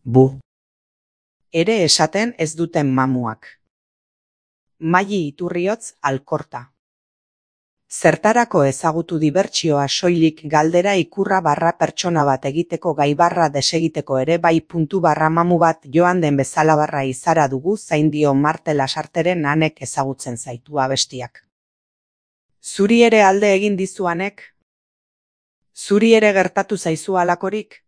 Bu. Ere esaten ez duten mamuak. Maili Iturriotz Alkorta. Zertarako ezagutu dibertsioa soilik galdera ikurra barra pertsona bat egiteko gai barra desegiteko ere bai puntu barra mamu bat joan den bezala barra izara dugu zain dio Marte Lasarteren Anek ezagutzen zaitu abestiak. Zuri ere alde egin dizu Anek? Zuri ere gertatu zaizu halakorik?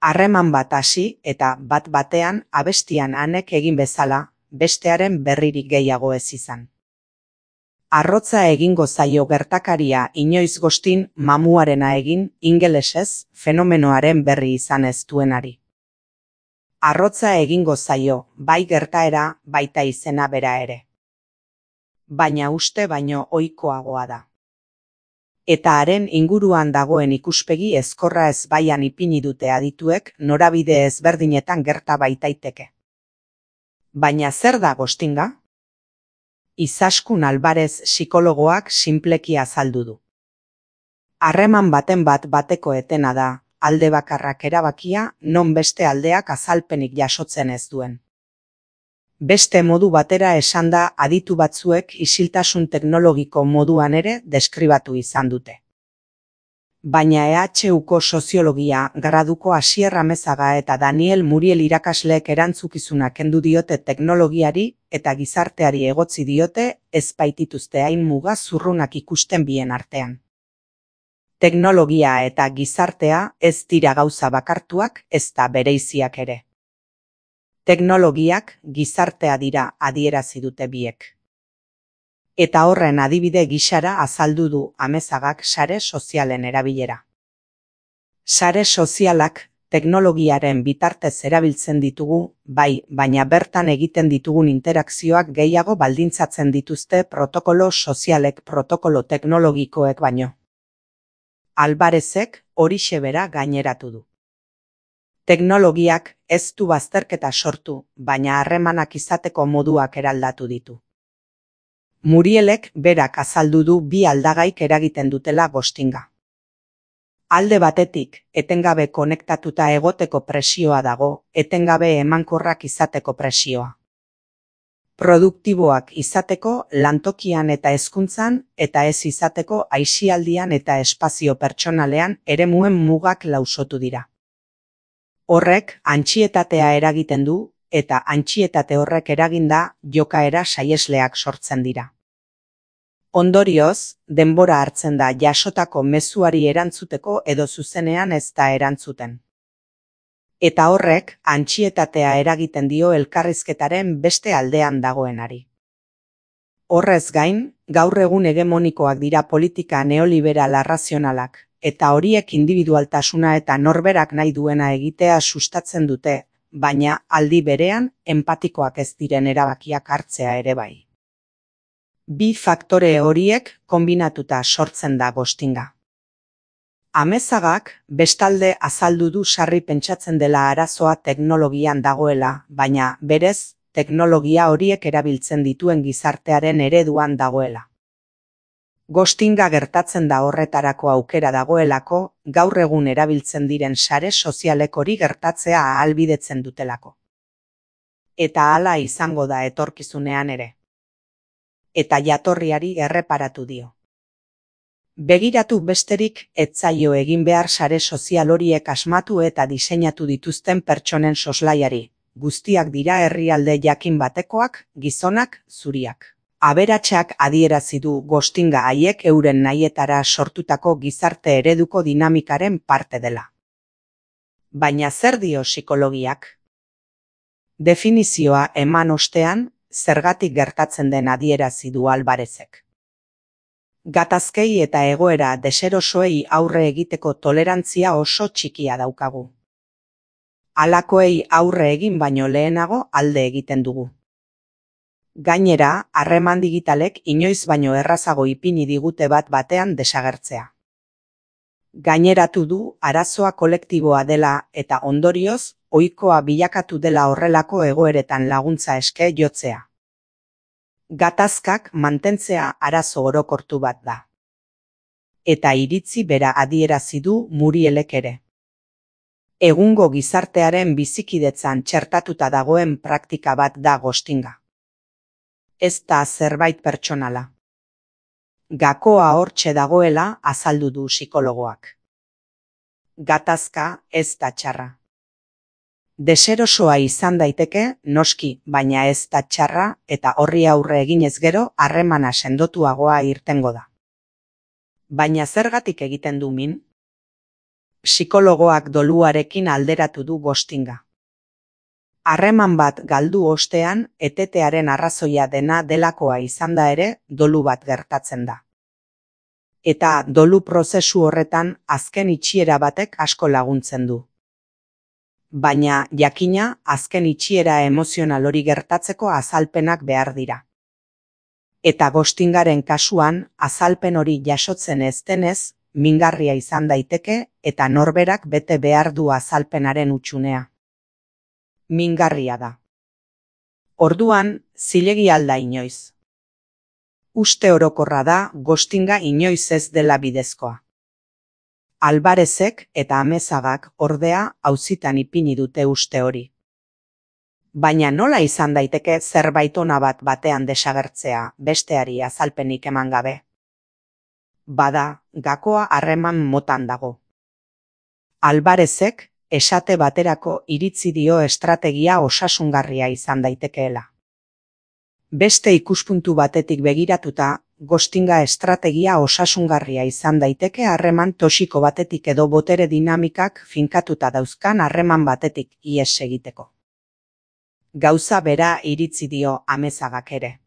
Harreman bat hasi eta bat batean abestian Anek egin bezala, bestearen berririk gehiago ez izan. Arrotza egingo zaio gertakaria inoiz gostin mamuarena egin ingelesez fenomenoaren berri izan ez duenari. Arrotza egingo zaio, bai gertaera, baita izena bera ere. Baina uste baino ohikoagoa da. Eta haren inguruan dagoen ikuspegi ezkorra ezbaian ipini dute adituek norabide ezberdinetan gerta baitaiteke. Baina zer da gostinga? Izaskun Alvarez psikologoak sinpleki azaldu du. Harreman baten bat bateko etena da, alde bakarrak erabakia non beste aldeak azalpenik jasotzen ez duen. Beste modu batera esanda aditu batzuek isiltasun teknologiko moduan ere deskribatu izan dute. Baina EHUko soziologia graduko Asier Amezaga eta Daniel Muriel irakasleek erantzukizuna kendu diote teknologiari eta gizarteari egotzi diote ez baitituzte hain muga zurrunak ikusten bien artean. Teknologia eta gizartea ez dira gauza bakartuak ezta bereiziak ere. Teknologiak gizartea dira adierazi dute biek. Eta horren adibide gisara azaldu du Amezagak sare sozialen erabilera. Sare sozialak teknologiaren bitartez erabiltzen ditugu, bai, baina bertan egiten ditugun interakzioak gehiago baldintzatzen dituzte protokolo sozialek protokolo teknologikoek baino. Alvarezek horixe bera gaineratu du. Teknologiak ez du bazterketa sortu, baina harremanak izateko moduak eraldatu ditu. Murielek berak azaldu du bi aldagaik eragiten dutela gostinga. Alde batetik, etengabe konektatuta egoteko presioa dago, etengabe emankorrak izateko presioa. Produktiboak izateko lantokian eta hezkuntzan eta ez izateko aisialdian eta espazio pertsonalean eremuen mugak lausotu dira. Horrek antsietatea eragiten du, eta antsietate horrek eraginda jokaera saihesleak sortzen dira. Ondorioz, denbora hartzen da jasotako mezuari erantzuteko edo zuzenean ez da erantzuten. Eta horrek antsietatea eragiten dio elkarrizketaren beste aldean dagoenari. Horrez gain, gaur egun hegemonikoak dira politika neoliberal arrazionalak, eta horiek individualtasuna eta norberak nahi duena egitea sustatzen dute, baina aldi berean enpatikoak ez diren erabakiak hartzea ere bai. Bi faktore horiek konbinatuta sortzen da gostinga. Amezagak bestalde azaldu du sarri pentsatzen dela arazoa teknologian dagoela, baina berez teknologia horiek erabiltzen dituen gizartearen ereduan dagoela. Gostinga gertatzen da horretarako aukera dagoelako, gaur egun erabiltzen diren sare sozialek hori gertatzea ahalbidetzen dutelako. Eta hala izango da etorkizunean ere. Eta jatorriari erreparatu dio. Begiratu besterik ez zaio egin behar sare sozial horiek asmatu eta diseinatu dituzten pertsonen soslaiari, guztiak dira herrialde jakin batekoak, gizonak, zuriak. Aberatsak adierazi du gostinga haiek euren nahietara sortutako gizarte ereduko dinamikaren parte dela. Baina zer dio psikologiak? Definizioa eman ostean, zergatik gertatzen den adierazi du Alvarezek. Gatazkei eta egoera deserosoei aurre egiteko tolerantzia oso txikia daukagu. Halakoei aurre egin baino lehenago alde egiten dugu. Gainera, harreman digitalek inoiz baino errazago ipini digute bat batean desagertzea. Gaineratu du arazoa kolektiboa dela eta ondorioz, ohikoa bilakatu dela horrelako egoeretan laguntza eske jotzea. Gatazkak mantentzea arazo orokortu bat da. Eta iritzi bera adierazi du Murielek ere. Egungo gizartearen bizikidetzan txertatuta dagoen praktika bat da ghostinga. Ez da zerbait pertsonala. Gakoa hortxe dagoela azaldu du psikologoak. Gatazka ez da txarra. Deserosoa izan daiteke, noski, baina ez da txarra eta horri aurre eginez gero harremana sendotuagoa irtengo da. Baina zergatik egiten du min? Psikologoak doluarekin alderatu du ghostinga. Harreman bat galdu ostean, etetearen arrazoia dena delakoa izanda ere, dolu bat gertatzen da. Eta dolu prozesu horretan azken itxiera batek asko laguntzen du. Baina, jakina, azken itxiera emozional hori gertatzeko azalpenak behar dira. Eta ghostingaren kasuan, azalpen hori jasotzen ez denez, mingarria izan daiteke eta norberak bete behar du azalpenaren hutsunea. Mingarria da. Orduan, zilegi alda inoiz. Uste orokorra da ghostinga inoiz ez dela bidezkoa. Alvarezek eta Amezagak ordea auzitan ipini dute uste hori. Baina nola izan daiteke zerbait ona bat batean desagertzea besteari azalpenik eman gabe? Bada, gakoa harreman motan dago. Alvarezek esate baterako iritzi dio estrategia osasungarria izan daitekeela. Beste ikuspuntu batetik begiratuta, ghostinga estrategia osasungarria izan daiteke harreman toxiko batetik edo botere dinamikak finkatuta dauzkan harreman batetik ihes egiteko. Gauza bera iritzi dio Amezagak ere.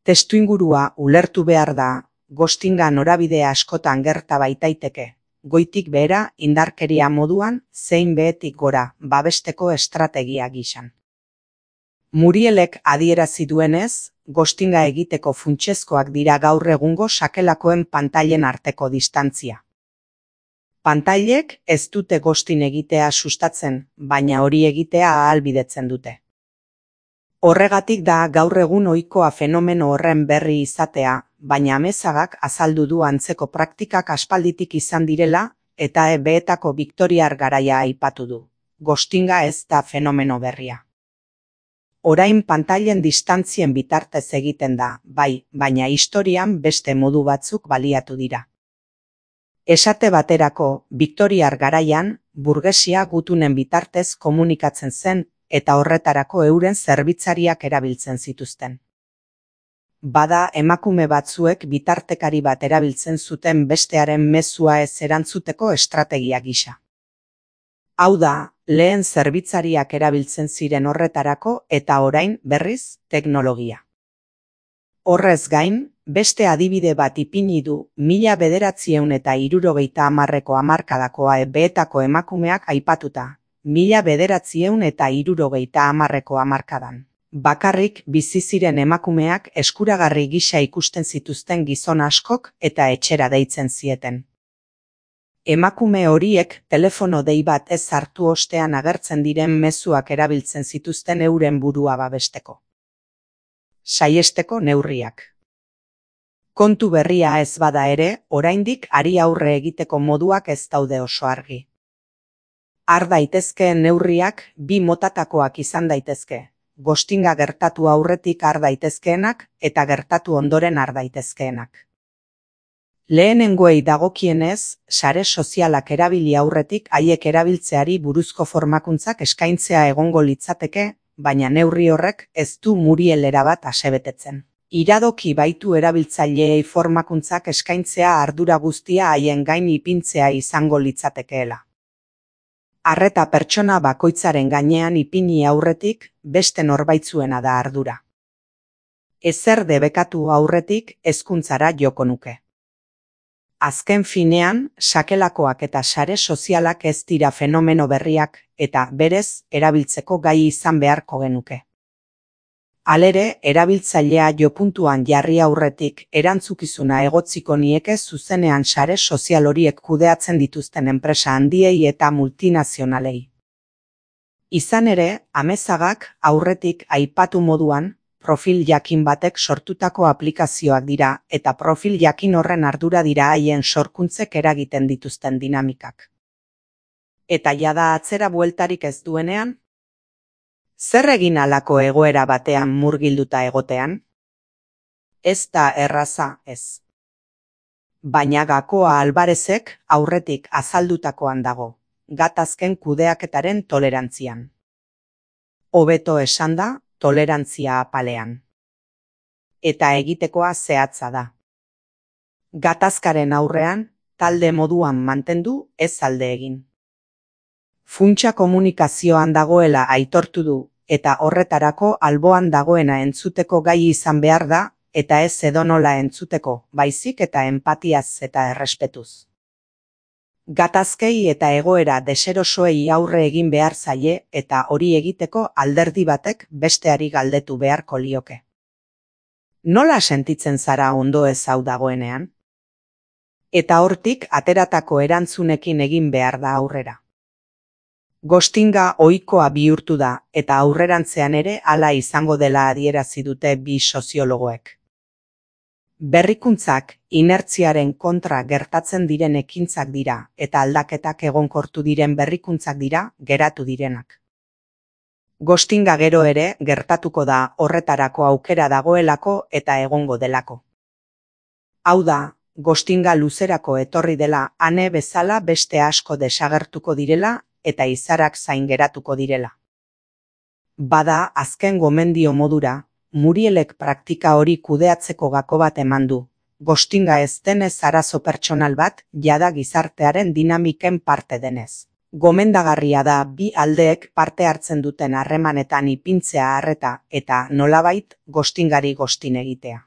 Testuingurua ulertu behar da, ghostinga norabide askotan gerta baitaiteke, goitik behera indarkeria moduan zein behetik gora babesteko estrategia gisan. Murielek adierazi duenez, ghostinga egiteko funtsezkoak dira gaur egungo sakelakoen pantailen arteko distantzia. Pantailek ez dute ghosting egitea sustatzen, baina hori egitea ahalbidetzen dute. Horregatik da gaur egun ohikoa fenomeno horren berri izatea, baina Amezagak azaldu du antzeko praktikak aspalditik izan direla eta beetako Victoriar garaia aipatu du. Ghostinga ez da fenomeno berria. Orain pantailen distantzien bitartez egiten da, bai, baina historian beste modu batzuk baliatu dira. Esate baterako, Victoriar garaian, burgesia gutunen bitartez komunikatzen zen eta horretarako euren zerbitzariak erabiltzen zituzten. Bada emakume batzuek bitartekari bat erabiltzen zuten bestearen mezua ez erantzuteko estrategia gisa. Hau da, lehen zerbitzariak erabiltzen ziren horretarako eta orain berriz teknologia. Horrez gain, beste adibide bat ipini du 1970ko hamarkadakoa beetako emakumeak aipatuta, 1970ko hamarkadan. Bakarrik bizi ziren emakumeak eskuragarri gisa ikusten zituzten gizon askok eta etxera deitzen zieten. Emakume horiek telefono dei bat ez hartu ostean agertzen diren mezuak erabiltzen zituzten euren burua babesteko. Saiesteko neurriak. Kontu berria ez bada ere, oraindik hari aurre egiteko moduak ez daude oso argi. Har daitezkeen neurriak bi motatakoak izan daitezke, ghostinga gertatu aurretik har daitezkeenak eta gertatu ondoren har daitezkeenak. Lehenengoei dagokienez, sare sozialak erabili aurretik haiek erabiltzeari buruzko formakuntzak eskaintzea egongo litzateke, baina neurri horrek ez du Muriel erabat asebetetzen. Iradoki baitu erabiltzaileei formakuntzak eskaintzea ardura guztia haien gain ipintzea izango litzatekeela. Arreta pertsona bakoitzaren gainean ipini aurretik beste norbaitzuena da ardura. Ezer debekatu aurretik hezkuntzara joko nuke. Azken finean, sakelakoak eta sare sozialak ez dira fenomeno berriak eta berez erabiltzeko gai izan beharko genuke. Halere, erabiltzailea jopuntuan jarri aurretik erantzukizuna egotziko nieke zuzenean sare sozial horiek kudeatzen dituzten enpresa handiei eta multinazionalei. Izan ere, Amezagak aurretik aipatu moduan, profil jakin batek sortutako aplikazioak dira eta profil jakin horren ardura dira haien sorkuntzek eragiten dituzten dinamikak. Eta jada atzera bueltarik ez duenean? Zer egin halako egoera batean murgilduta egotean? Ez da erraza, ez. Baina Gakoa Alvarezek aurretik azaldutakoan dago, gatazken kudeaketaren tolerantzian. Hobeto esanda, tolerantzia apalean. Eta egitekoa zehatza da. Gatazkaren aurrean, talde moduan mantendu, ez alde egin. Funtsa komunikazioan dagoela aitortu du, eta horretarako alboan dagoena entzuteko gai izan behar da, eta ez edonola entzuteko, baizik eta enpatiaz eta errespetuz. Gatazkei eta egoera deserosoei aurre egin behar zaie eta hori egiteko alderdi batek besteari galdetu beharko lioke. Nola sentitzen zara ondo ez hau dagoenean? Eta hortik ateratako erantzunekin egin behar da aurrera. Ghostinga ohikoa bihurtu da eta aurrerantzean ere hala izango dela adierazi dute bi soziologoek. Berrikuntzak inertziaren kontra gertatzen diren ekintzak dira eta aldaketak egonkortu diren berrikuntzak dira geratu direnak. Ghostinga gero ere gertatuko da horretarako aukera dagoelako eta egongo delako. Hau da, ghostinga luzerako etorri dela ane bezala beste asko desagertuko direla eta izarak zain geratuko direla. Bada azken gomendio modura, Murielek praktika hori kudeatzeko gako bat eman du. Ghostinga ez denez arazo pertsonal bat, jada gizartearen dinamiken parte denez. Gomendagarria da bi aldeek parte hartzen duten harremanetan ipintzea arreta eta nolabait ghostingari ghostin egitea.